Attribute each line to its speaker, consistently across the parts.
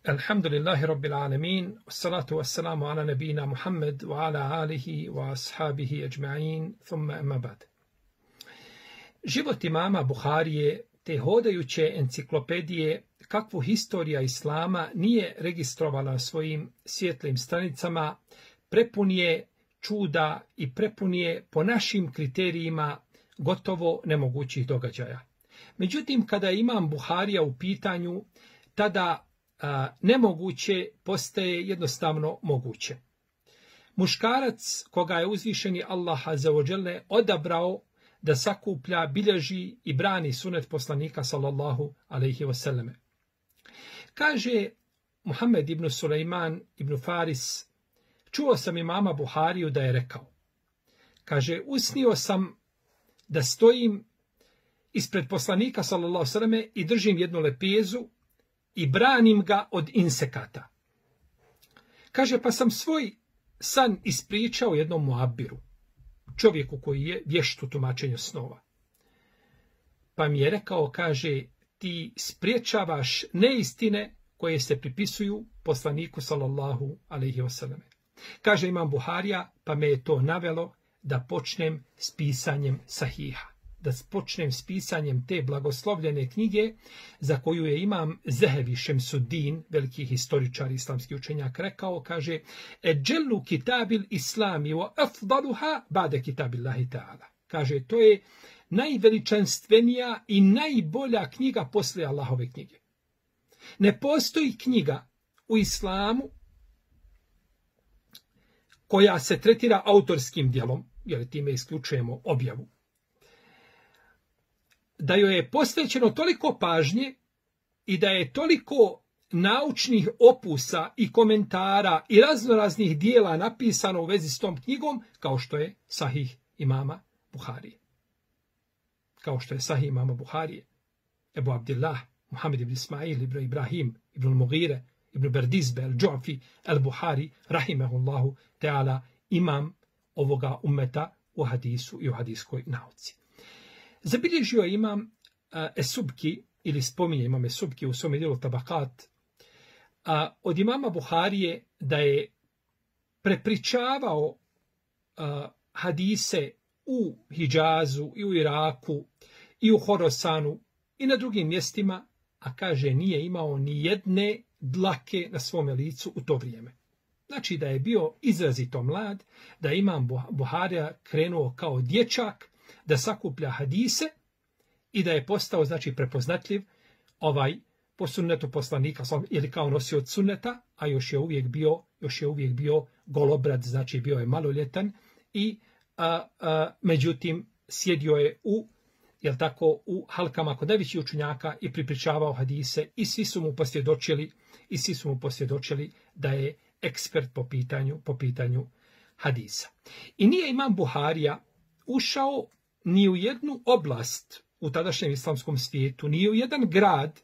Speaker 1: Alhamdulillahi Rabbil Alamin, wassalatu wassalamu ala nabina Muhammed wa ala alihi wa ashabihi ajma'in, thumma amma ba'd. Život imama Buharije, te hodajuće enciklopedije, kakvu historija Islama nije registrovala svojim svjetlim stranicama, prepun je čuda i prepun je po našim kriterijima gotovo nemogućih događaja. Međutim, kada je imam Buharija u pitanju, tada nemoguće postaje jednostavno moguće. Muškarac koga je uzvišeni Allah azza wa dželle odabrao da sakuplja, bilježi i brani sunet poslanika sallallahu alejhi ve selleme. Kaže Muhammed ibn Sulejman ibn Faris, čuo sam imama Buhariju da je rekao, kaže, usnio sam da stojim ispred poslanika sallallahu alejhi ve selleme i držim jednu lepezu i branim ga od insekata. Kaže, pa sam svoj san ispričao jednom muabiru, čovjeku koji je vješt u tumačenju snova. Pa mi je rekao, kaže, ti spriječavaš neistine koje se pripisuju poslaniku sallallahu alejhi ve selleme. Kaže imam Buharija, pa me je to navelo da počnem s pisanjem sahiha. Da počnem s pisanjem te blagoslovljene knjige za koju je imam Zehevi Šemsuddin, veliki historičar islamski učenjak, rekao, kaže, eđellu kitabil islami wa afdaluha ba'de kitabillahi ta'ala. Kaže, to je najveličanstvenija i najbolja knjiga poslije Allahove knjige. Ne postoji knjiga u islamu koja se tretira autorskim djelom, jer time isključujemo objavu, da joj je posvećeno toliko pažnje i da je toliko naučnih opusa i komentara i raznoraznih dijela napisano u vezi s tom knjigom, kao što je Sahih imama Buharije. Kao što je Sahih imama Buharije. Ebu Abdillah, Muhammed ibn Ismail, ibn Ibrahim, ibn Mughire, ibn Berdizbe, al-Džu'fi, al-Buhari, rahimahullahu ta'ala, imam ovoga ummeta u hadisu i u hadiskoj nauci. Zabilježio je imam Esubki, ili spominje imam Esubki u svome djelu Tabakat, od imama Buharije da je prepričavao hadise u Hidžazu i u Iraku i u Horosanu i na drugim mjestima, a kaže nije imao ni jedne dlake na svome licu u to vrijeme. Znači da je bio izrazito mlad, da je imam Buharija krenuo kao dječak da sakuplja hadise i da je postao, znači, prepoznatljiv po sunnetu poslanika ili kao nosioc sunneta, a još je uvijek bio golobrad, znači bio je maloljetan i međutim sjedio je u halkama kod najvećih učenjaka i pripričavao hadise i svi su mu posvjedočili da je ekspert po pitanju hadisa. I nije imam Buharija ušao ni u jednu oblast u tadašnjem islamskom svijetu, ni u jedan grad,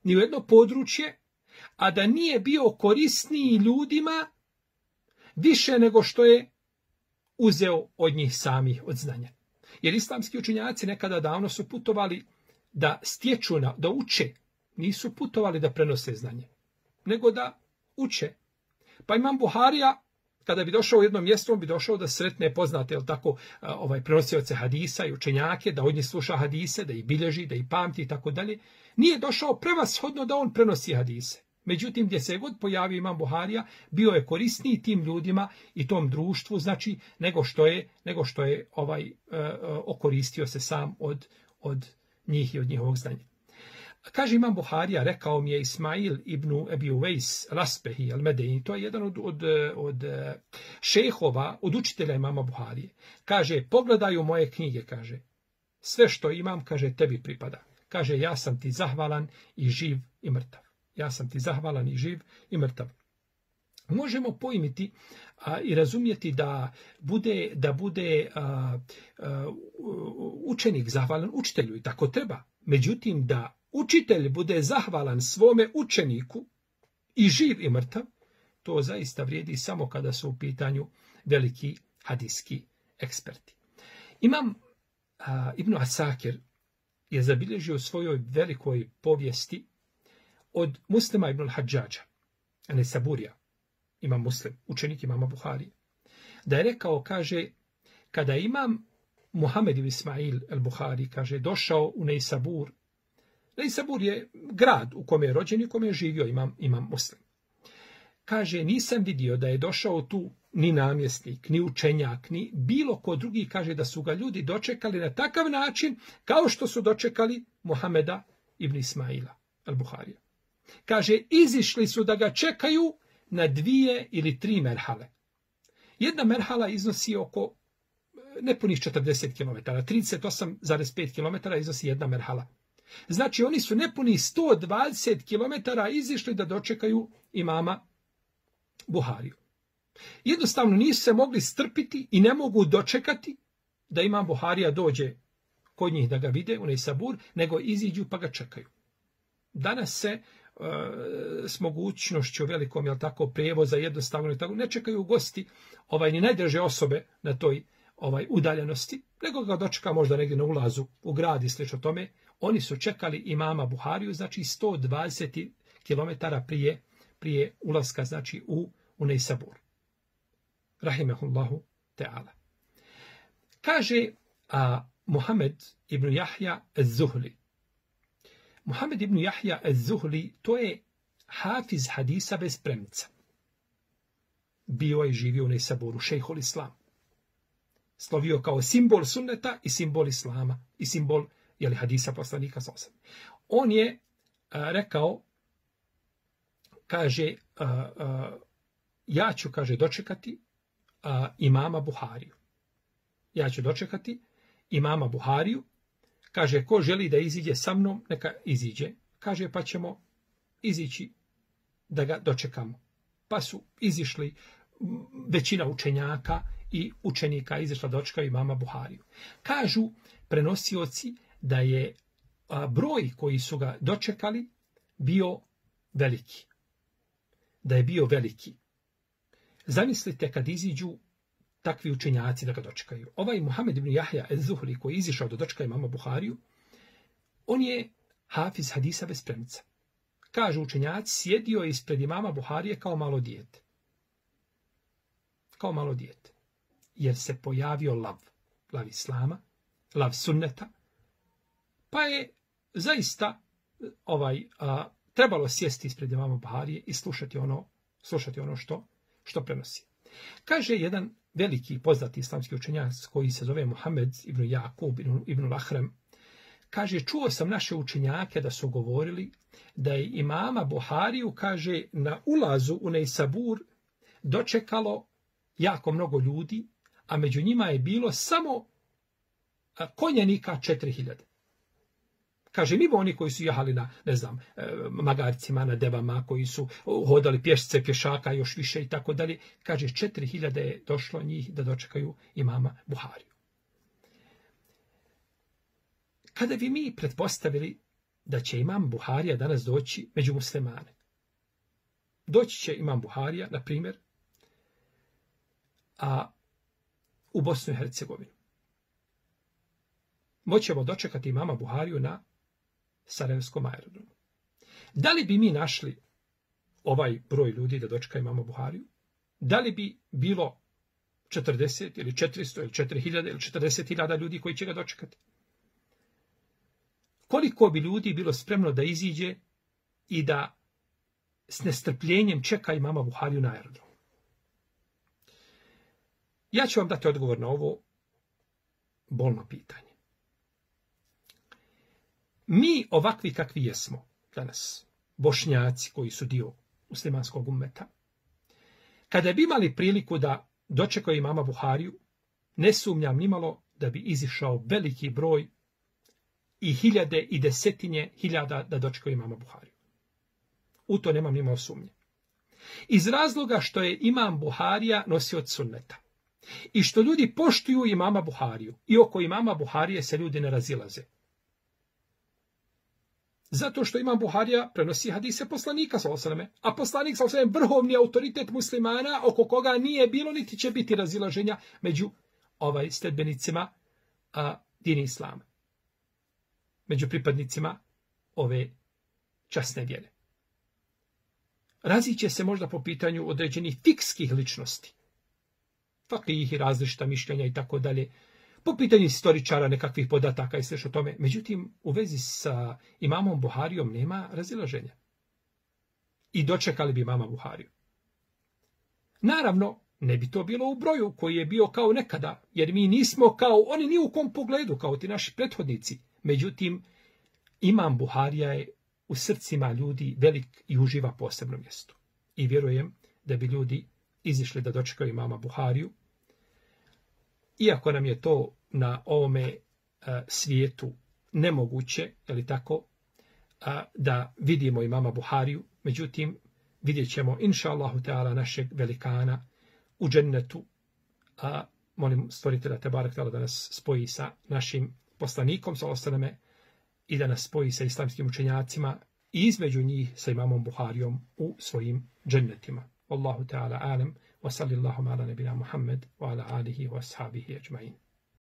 Speaker 1: ni u jedno područje, a da nije bio korisniji ljudima više nego što je uzeo od njih samih od znanja. Jer islamski učenjaci nekada davno su putovali da stječu, da uče, nisu putovali da prenose znanje, nego da uče. Pa imam Buharija, kada bi došao u jedno mjesto, on bi došao da sretne poznate, prenosioce hadisa i učenjake, da od njih sluša hadise, da ih bilježi, da ih pamti i tako dalje. Nije došao prevashodno da on prenosi hadise. Međutim, gdje se god pojavio imam Buharija, bio je korisniji tim ljudima i tom društvu, znači, nego što je okoristio se sam od njih i od njihovog znanja. Kaže imam Buharija, rekao mi je Ismail ibn Ebi Uvejs al-Asbehi al-Medeni, to je jedan od šejhova, od učitelja imama Buharije. Kaže, pogledaj u moje knjige, kaže, sve što imam, kaže, tebi pripada. Kaže, ja sam ti zahvalan i živ i mrtav. Ja sam ti zahvalan i živ i mrtav. Možemo pojmiti i razumjeti da bude učenik zahvalan učitelju i tako treba. Međutim, da učitelj bude zahvalan svome učeniku i živ i mrtav, to zaista vrijedi samo kada su u pitanju veliki hadijski eksperti. Imam Ibn Asakir je zabilježio u svojoj velikoj povijesti od Muslima ibn al-Hadžađa, Nesaburija, imam Muslim, učenik imama Buharije, da je rekao, kaže, kada imam Muhammed ibn Ismail al-Buhari, kaže, došao u Neisabur. Neisabur je grad u kome je rođen i u kome je živio imam Muslim. Kaže, nisam vidio da je došao tu ni namjesnik, ni učenjak, ni bilo ko drugi, kaže, da su ga ljudi dočekali na takav način kao što su dočekali Muhameda ibn Ismaila al-Buharija. Kaže, izišli su da ga čekaju na 2 ili 3 merhale. Jedna merhala iznosi oko nepunih 40 km, 38,5 km iznosi jedna merhala. Znači, oni su nepunih 120 km izišli da dočekaju imama Buhariju. Jednostavno nisu se mogli strpiti i ne mogu dočekati da imam Buharija dođe kod njih da ga vide u Neisabur, nego iziđu pa ga čekaju. Danas se s mogućnošću velikom, jel tako, prijevoza jednostavno tako, ne čekaju gosti ni najdraže osobe na toj udaljenosti, nego ga dočeka možda negdje na ulazu u grad i slično tome. Oni su čekali imama Buhariju, znači 120 km prije ulaska, znači u Neisabur. Rahimehullahu ta'ala. Kaže Muhammed ibn Yahya az-Zuhli. Muhammed ibn Yahya az-Zuhli, to je hafiz hadisa bez premca. Bio je živio u Neisaburu, šejhul Islam. Slovio kao simbol sunneta i simbol Islama i simbol hadisa poslanika sallallahu alejhi ve sellem. On je rekao, kaže, ja ću, kaže, dočekati imama Buhariju. Ja ću dočekati imama Buhariju. Kaže, ko želi da iziđe sa mnom, neka iziđe. Kaže, pa ćemo izići da ga dočekamo. Pa su izišli većina učenjaka i učenika izišla dočekaju imama Buhariju. Kažu prenosioci da je broj koji su ga dočekali bio veliki. Da je bio veliki. Zamislite kad iziđu takvi učenjaci da ga dočekaju. Ovaj Muhammed ibn Yahya az-Zuhli koji je izišao da dočeka imama Buhariju, on je hafiz hadisa bez premca. Kažu učenjaci, sjedio je ispred imama Buharije kao malo dijete. Kao malo dijete. Jer se pojavio lav Islama, lav sunneta, pa je zaista trebalo sjesti ispred imama Buharije i slušati ono što prenosi. Kaže jedan veliki poznati islamski učenjak koji se zove Muhammed ibn Jakub ibn Lahrem, kaže, čuo sam naše učenjake da su govorili da je imama Buhariju, kaže, na ulazu u Neisabur dočekalo jako mnogo ljudi, a među njima je bilo samo konjanika 4000. Kaže, mimo oni koji su jahali na, magarcima, na devama, koji su hodali pješce, pješaka, još više i tako dalje. Kaže, 4000 je došlo njih da dočekaju imama Buhariju. Kada bi mi pretpostavili da će imam Buharija danas doći među muslimane, doći će imam Buharija, na primjer, u Bosnu i Hercegovinu. Moćemo dočekati imama Buhariju na Sarajevskom aerodromu. Da li bi mi našli ovaj broj ljudi da dočeka imama Buhariju? Da li bi bilo 40 ili 400 ili 4000 ili 40.000 ljudi koji će ga dočekati? Koliko bi ljudi bilo spremno da iziđe i da s nestrpljenjem čeka imama Buhariju na aerodromu? Ja ću vam dati odgovor na ovo bolno pitanje. Mi ovakvi kakvi jesmo danas, Bošnjaci koji su dio muslimanskog ummeta, kada bi imali priliku da dočekaju imama Buhariju, ne sumnjam nimalo da bi izišao veliki broj i hiljade i desetine hiljada da dočekaju imama Buhariju. U to nemam nimalo sumnje. Iz razloga što je imam Buharija nosioc sunneta i što ljudi poštuju imama Buhariju i oko imama Buharije se ljudi ne razilaze. Zato što imam Buharija prenosi hadise poslanika sallallahu alejhi ve selleme, a poslanik sallallahu alejhi ve sellem vrhovni autoritet muslimana oko koga nije bilo niti će biti razilaženja među sledbenicima dini islama. Među pripadnicima ove časne vjere. raziće se možda po pitanju određenih fikskih ličnosti. Fakih i različita mišljenja i tako dalje. Po pitanju historičara, nekakvih podataka i sve što tome. Međutim, u vezi sa imamom Buharijom nema razilaženja. I dočekali bi imama Buhariju. Naravno, ne bi to bilo u broju koji je bio kao nekada, jer mi nismo kao oni ni u kom pogledu, kao ti naši prethodnici. Međutim, imam Buharija je u srcima ljudi velik i uživa posebno mjesto. I vjerujem da bi ljudi izišli da dočekaju imama Buhariju. Iako nam je to na ovome svijetu nemoguće, je li tako, da vidimo imama Buhariju, međutim, vidjet ćemo, inša Allahu Teala, našeg velikana u džennetu. Molim stvoritelja Tebarek Teala da nas spoji sa našim poslanikom, sa ostaneme, i da nas spoji sa islamskim učenjacima i između njih sa imamom Buharijom u svojim džennetima. Wallahu Teala alem, wa sallallahu ala nebina Muhammed, wa ala alihi wa ashabihi ajma'in.